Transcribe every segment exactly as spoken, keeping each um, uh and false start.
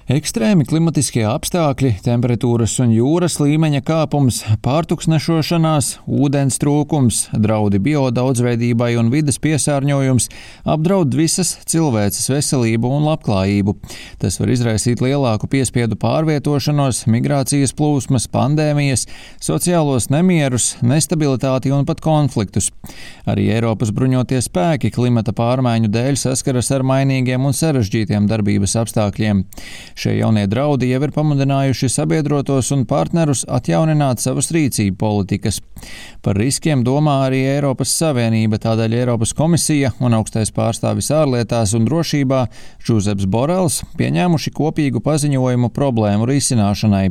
Ekstrēmi klimatiskie apstākļi, temperatūras un jūras līmeņa kāpums, pārtuksnešošanās, ūdens trūkums, draudi biodaudzveidībai un vides piesārņojums apdraud visas cilvēces veselību un labklājību. Tas var izraisīt lielāku piespiedu pārvietošanos, migrācijas plūsmas, pandēmijas, sociālos nemierus, nestabilitāti un pat konfliktus. Arī Eiropas bruņotie spēki klimata pārmaiņu dēļ saskaras ar mainīgiem un sarežģītiem darbības apstākļiem. Šie jaunie draudi jau ir pamudinājuši sabiedrotos un partnerus atjaunināt savas rīcību politikas. Par riskiem domā arī Eiropas Savienība, tādēļ Eiropas komisija un augstais pārstāvis ārlietās un drošībā Žuzeps Borels pieņēmuši kopīgu paziņojumu problēmu risināšanai.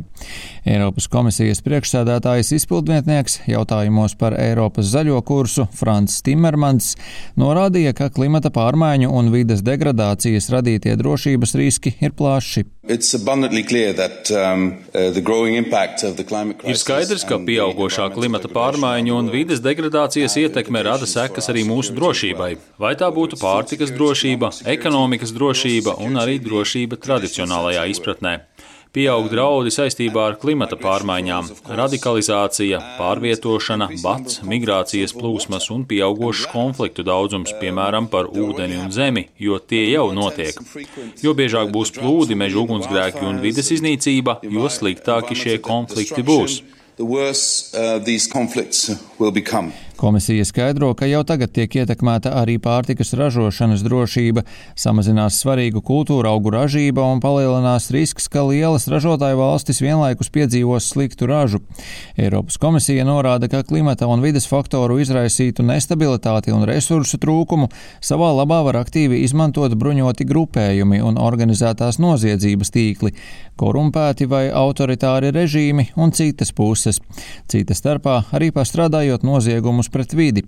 Eiropas komisijas priekšsēdētājs izpildnieks jautājumos par Eiropas zaļo kursu Frans Timmermans norādīja, ka klimata pārmaiņu un vides degradācijas radītie drošības riski ir plaši. That, um, uh, Ir skaidrs, ka pieaugošā klimata pārmaiņu un vides degradācijas ietekme rada sekas arī mūsu drošībai. Vai tā būtu pārtikas drošība, ekonomikas drošība un arī drošība tradicionālajā izpratnē. Pieaug draudi saistībā ar klimata pārmaiņām, radikalizācija, pārvietošana, bats, migrācijas plūsmas un pieaugošs konfliktu daudzums, piemēram, par ūdeni un zemi, jo tie jau notiek. Jo biežāk būs plūdi, meža ugunsgrēki un vides iznīcība, jo sliktāki šie konflikti būs. Komisija skaidro, ka jau tagad tiek ietekmēta arī pārtikas ražošanas drošība, samazinās svarīgu kultūra augu ražība un palielinās risks, ka lielas ražotāju valstis vienlaikus piedzīvos sliktu ražu. Eiropas komisija norāda, ka klimata un vides faktoru izraisītu nestabilitāti un resursu trūkumu savā labā var aktīvi izmantot bruņoti grupējumi un organizētās noziedzības tīkli, korumpēti vai autoritāri režīmi un citas puses. Cita starpā arī pastrādājot noziegumus pret vidi,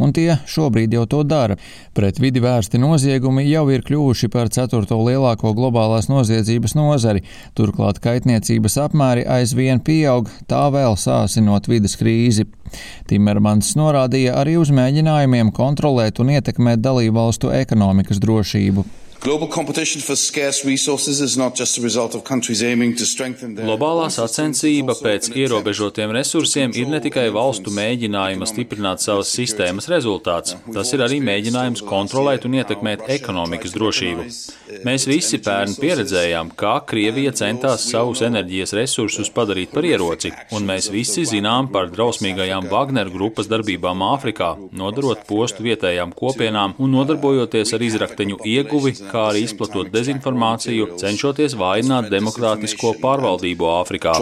un tie šobrīd jau to dara. Pret vidi vērsti noziegumi jau ir kļuvuši par ceturto lielāko globālās noziedzības nozari, turklāt kaitniecības apmēri aizvien pieaug, tā vēl sāsinot vides krīzi. Timmermans norādīja arī uz mēģinājumiem kontrolēt un ietekmēt dalībvalstu ekonomikas drošību. Globālā sacensība pēc ierobežotiem resursiem ir ne tikai valstu mēģinājuma stiprināt savas sistēmas rezultāts, tas ir arī mēģinājums kontrolēt un ietekmēt ekonomikas drošību. Mēs visi pērn pieredzējām, kā Krievija centās savus enerģijas resursus padarīt par ieroci, un mēs visi zinām par drausmīgajām Wagner grupas darbībām Āfrikā, nodarot postu vietējām kopienām un nodarbojoties ar izrakteņu ieguvi, kā arī izplatot dezinformāciju, cenšoties vājināt demokrātisko pārvaldību Āfrikā.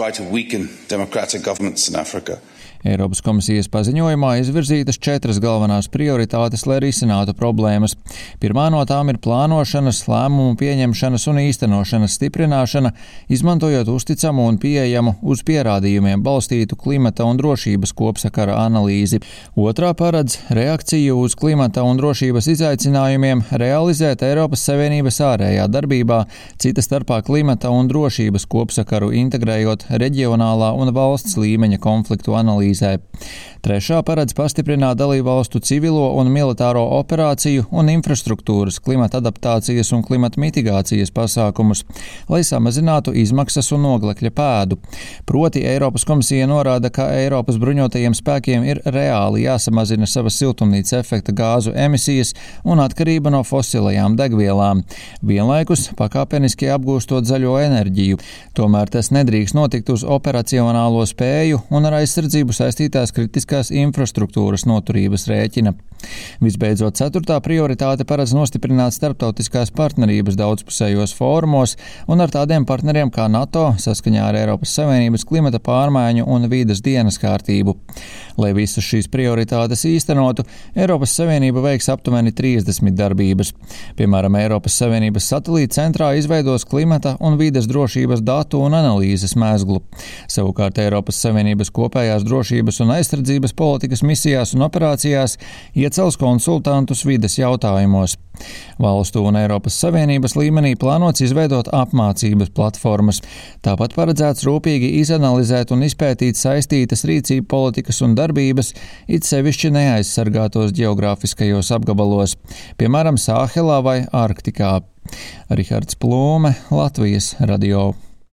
Eiropas komisijas paziņojumā izvirzītas četras galvenās prioritātes, lai risinātu problēmas. Pirmā no tām ir plānošanas, lēmumu pieņemšanas un īstenošanas stiprināšana, izmantojot uzticamu un pieejamu uz pierādījumiem balstītu klimata un drošības kopsakara analīzi. Otrā paredz reakciju uz klimata un drošības izaicinājumiem realizēt Eiropas Savienības ārējā darbībā, cita starpā klimata un drošības kopsakaru integrējot reģionālā un valsts līmeņa konfliktu analīzi. Trešā paredz pastiprināt dalībvalstu civilo un militāro operāciju un infrastruktūras, klimata adaptācijas un klimata mitigācijas pasākumus, lai samazinātu izmaksas un oglekļa pēdu. Proti Eiropas komisija norāda, ka Eiropas bruņotajiem spēkiem ir reāli jāsamazina savas siltumnīca efekta gāzu emisijas un atkarība no fosilajām degvielām, vienlaikus pakāpeniski apgūstot zaļo enerģiju. Tomēr tas nedrīkst notikt uz operacionālo spēju un ar aizsardzību saistītās kritiskās infrastruktūras noturības rēķina. Visbeidzot, ceturtā prioritāte paredz nostiprināt starptautiskās partnerības daudzpusējos fórumos un ar tādiem partneriem kā NATO saskaņā ar Eiropas Savienības klimata pārmaiņu un vīdes dienas kārtību. Lai visas šīs prioritātes īstenotu, Eiropas Savienība veiks aptuveni trīsdesmit darbības. Piemēram, Eiropas Savienības satelīta centrā izveidos klimata un vīdes drošības datu un analīzes mezglu. Savukārt Eiropas Savienības kopējās drošības un aizsardzības politikas misijās un operācijās iecels konsultantus vides jautājumos. Valstu un Eiropas Savienības līmenī plānots izveidot apmācības platformas. Tāpat paredzēts rūpīgi izanalizēt un izpētīt saistītas rīcību politikas un darbības, it sevišķi neaizsargātos ģeogrāfiskajos apgabalos, piemēram, Sāhelā vai Arktikā. Rihards Plūme, Latvijas radio.